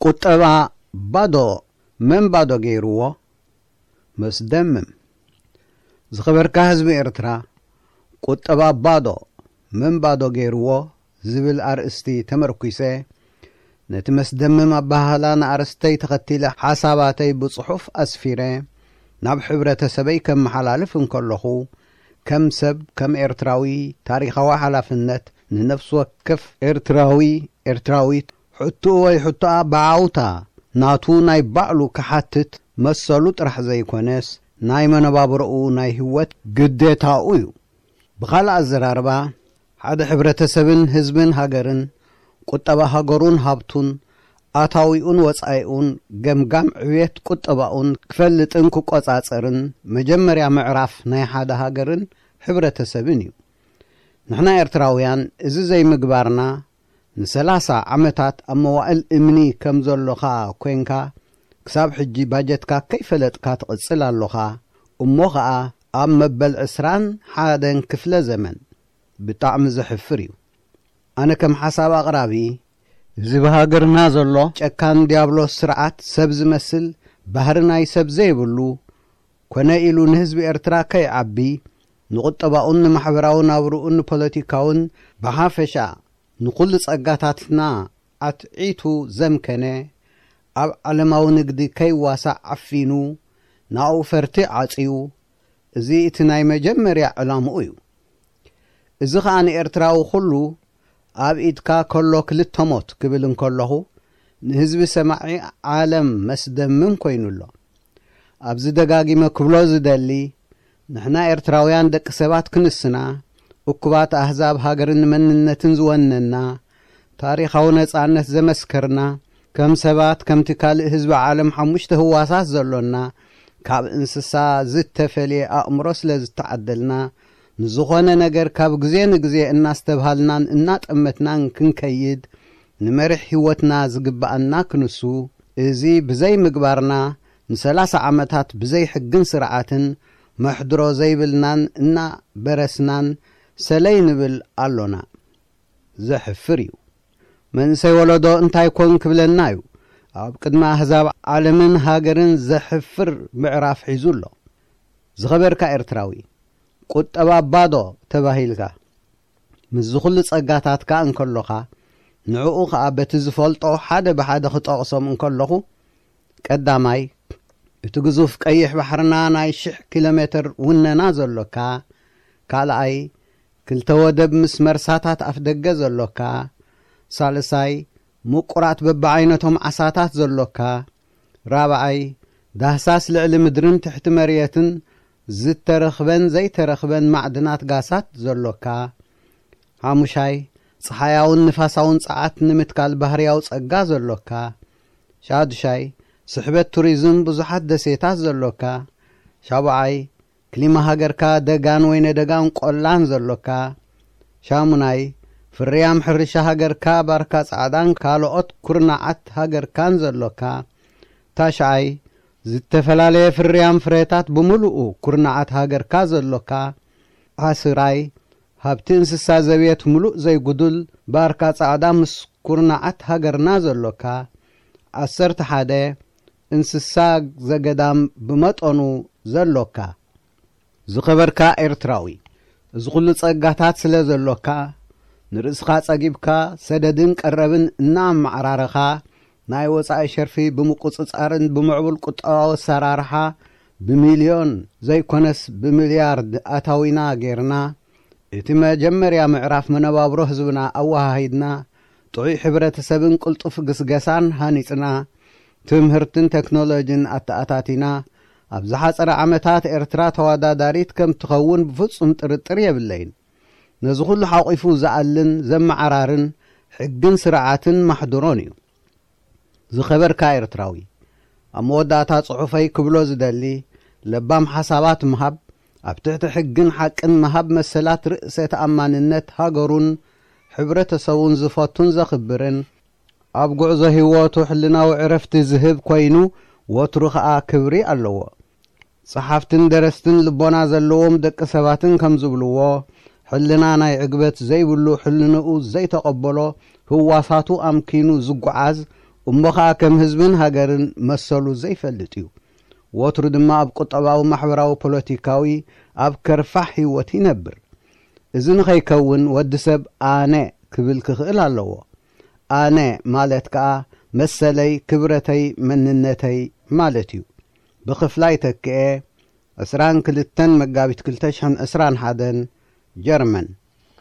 ቁጠባ ባዶ መን ባዶ ገይርዎ? መስደምም። ዝኸበርካ ህዝቢ ኤርትራ፣ ቁጠባ ባዶ መን ባዶ ገይርዎ ዝብል ኣርእስቲ ተመርኲሰ፣ ነቲ መስደምም ኣበሃህላ ንኣርእስተይ ተኸቲለ ሓሳባተይ ብጽሑፍ ኣስፊረ ናብ ሕብረተሰበይ ከመሓላልፍ እንከለኹ፣ ከም ሰብ፣ ከም ኤርትራዊ፣ ታሪኻዊ ሓላፍነት ንነፍሲ ወከፍ ኤርትራዊ፣ ኤርትራዊት፣ ሕቶኡ ወይ ሕቶኣ ብዓውታ ናቱ ናይ ባዕሉ ክሓትት መሰሉ ጥራሕ ዘይኮነስ፣ ናይ መነባብሮኡ ናይ ህይወት ግዴታኡ እዩ። ብኻልእ ኣዘራርባ፣ ሓደ ሕብረተሰብን ህዝብን ሃገርን፣ ቁጠባ ሃገሩን ሃብቱን፣ ኣታዊኡን ወጻኢኡን፣ ገምጋም ዕብየት ቁጠባኡን ክፈልጥን ክቆጻጸርን መጀመርያ ምዕራፍ ናይ ሓደ ሃገርን ሕብረተሰብን እዩ። ንሕና ኤርትራውያን እዚ ዘይምግባርና፣ ንሰላሳ ዓመታት ኣብ መዋእል እምኒ ከም ዘሎኻ ኮንካ፣ ክሳብ ሕጂ ባጀትካ ከይፈለጥካ ትቕጽል ኣሎኻ። እሞ ኸኣ ኣብ መበል ዕስራን ሓደን ክፍለ ዘመን። ብጣዕሚ ዘሕፍር እዩ። ኣነ ከም ሓሳብ ኣቕራቢ፣ እዚ ብሃገርና ዘሎ ጨካን ዲያብሎስ ስርዓት፣ ሰብ ዝመስል ባህሪ ናይ ሰብ ዘይብሉ፣ ኮነ ኢሉ ንህዝቢ ኤርትራ ከይዓቢ፣ ንቁጠባኡን ንማሕበራዊ ናብርኡን ንፖለቲካውን ብሓፈሻ ንኹሉ ጸጋታትና ኣትዒቱ ዘምከነ፣ ኣብ ዓለማዊ ንግዲ ከይዋሳእ ዓፊኑ፣ ናኡ ፈርቲ ዓጽዩ፣ እዚ እቲ ናይ መጀመርያ ዕላምኡ እዩ። እዚ ኸኣ ንኤርትራዊ ኩሉ ኣብ ኢድካ ከሎ ክልተ ሞት ክብል እንከለኹ፣ ንህዝቢ ሰማዒ ዓለም መስደምም ኮይኑ ኣሎ። ኣብዚ ደጋጊመ ክብሎ ዝደሊ፣ ንሕና ኤርትራውያን ደቂ ሰባት ክንስና፣ እኩባት ኣህዛብ ሃገርን መንነትን ዝወነና፣ ታሪኻዊ ነጻነት ዘመስከርና፣ ከም ሰባት፣ ከምቲ ካልእ ህዝቢ ዓለም ሓሙሽተ ህዋሳት ዘሎና፣ ካብ እንስሳ ዝተፈልየ ኣእምሮ ስለ ዝተዓደልና፣ ንዝኾነ ነገር ካብ ግዜ ንግዜ እናስተብሃልናን እናጠመትናን ክንከይድ፣ ንመሪሕ ህይወትና ዝግብኣና ክንሱ፣ እዚ ብዘይ ምግባርና፣ ንሰላሳ ዓመታት ብዘይ ሕግን ስርዓትን መሕድሮ ዘይብልናን እናበረስናን ሰለይ ንብል ኣሎና። ዘሕፍር እዩ። መንእሰይ ወለዶ እንታይ ኮን ክብለና እዩ? ኣብ ቅድሚ ኣህዛብ ዓለምን ሃገርን ዘሕፍር ምዕራፍ ሒዙ ኣሎ። ዝኸበርካ ኤርትራዊ፣ ቁጠባ ባዶ ተባሂልካ፣ ምስዚ ኩሉ ጸጋታትካ እንከሎኻ፣ ንዕኡ ኸኣ በቲ ዝፈልጦ ሓደ ብሓደ ክጠቕሶም እንከለኹ፣ ቀዳማይ፣ እቲ ግዙፍ ቀይሕ ባሕርና ናይ ሽሕ ኪሎ ሜትር ውነና ዘሎካ፣ ካልኣይ፣ ክልተ ወደብ ምስ መርሳታት ኣፍደገ ዘሎካ፣ ሳልሳይ፣ ምቁራት በብዓይነቶም ዓሳታት ዘሎካ፣ ራብዓይ፣ ዳህሳስ ልዕሊ ምድርን ትሕቲ መርየትን ዝተረኽበን ዘይተረኽበን ማዕድናት ጋሳት ዘሎካ፣ ሓሙሻይ፣ ጸሓያውን ንፋሳውን ጸዓት ንምትካል ባህርያዊ ጸጋ ዘሎካ፣ ሻዱሻይ፣ ስሕበት ቱሪዝም ብዙሓት ደሴታት ዘሎካ፣ ሻቡዓይ፣ ክሊማ ሃገርካ ደጋን ወይነ ደጋን ቆላን ዘሎካ፣ ሻሙናይ፣ ፍርያም ሕርሻ ሃገርካ ባርካ ጻዕዳን ካልኦት ኩርናዓት ሃገርካን ዘሎካ፣ ታሽዓይ፣ ዝተፈላለየ ፍርያም ፍረታት ብምሉኡ ኩርናዓት ሃገርካ ዘሎካ፣ ዓስራይ፣ ሃብቲ እንስሳ ዘቤት ምሉእ ዘይጉዱል ባርካ ጻዕዳ ምስ ኩርናዓት ሃገርና ዘሎካ፣ ዓሰርተ ሓደ፣ እንስሳ ዘገዳም ብመጠኑ ዘሎካ። ዝኸበርካ ኤርትራዊ፣ እዚ ኩሉ ጸጋታት ስለ ዘሎካ፣ ንርእስኻ ጸጊብካ፣ ሰደድን ቀረብን እናኣመዓራረኻ፣ ናይ ወጻኢ ሸርፊ ብምቁጽጻርን ብምዕቡል ቁጠባዊ ኣሰራርሓ፣ ብሚልዮን ዘይኮነስ ብሚልያርድ ኣታዊና ጌርና፣ እቲ መጀመርያ ምዕራፍ መነባብሮ ህዝብና ኣወሃሂድና፣ ጥዑይ ሕብረተሰብን ቅልጡፍ ግስገሳን ሃኒጽና፣ ትምህርትን ቴክኖሎጂን ኣተኣታቲና፣ ኣብ ዝሓጸረ ዓመታት ኤርትራ ተወዳዳሪት ከም ትኸውን ብፍጹም ጥርጥር የብለይን። ነዚ ኩሉ ሓቂፉ ዝኣልን ዘመዓራርን ሕግን ስርዓትን ማሕድሮን እዩ። ዝኸበርካ ኤርትራዊ፣ ኣብ መወዳእታ ጽሑፈይ ክብሎ ዝደሊ፣ ለባም ሓሳባት ምሃብ፣ ኣብ ትሕቲ ሕግን ሓቅን ምሃብ መሰላት ርእሰ ተኣማንነት ሃገሩን ሕብረተሰቡን ዝፈቱን ዘኽብርን፣ ኣብ ጉዕዞ ህይወቱ ሕልናዊ ዕረፍቲ ዝህብ ኮይኑ፣ ወትሩ ኸኣ ክብሪ ኣለዎ። ጸሓፍትን ደረስትን ልቦና ዘለዎም ደቂ ሰባትን ከም ዝብልዎ፣ ሕልና ናይ ዕግበት ዘይብሉ፣ ሕልንኡ ዘይተቐበሎ፣ ህዋሳቱ ኣምኪኑ ዝጓዓዝ፣ እሞ ኸኣ ከም ህዝብን ሃገርን መሰሉ ዘይፈልጥ እዩ። ወትሩ ድማ ኣብ ቁጠባዊ፣ ማሕበራዊ፣ ፖለቲካዊ ኣብ ከርፋሕ ህይወት ይነብር። እዚ ንኸይከውን ወዲ ሰብ ኣነ ክብል ክኽእል ኣለዎ። ኣነ ማለት ከኣ መሰለይ፣ ክብረተይ፣ መንነተይ ማለት እዩ። ብኽፍላይ ተክኤ፣ ዕስራን ክልተን መጋቢት ክልተ ሽሕን ዕስራን ሓደን፣ ጀርመን።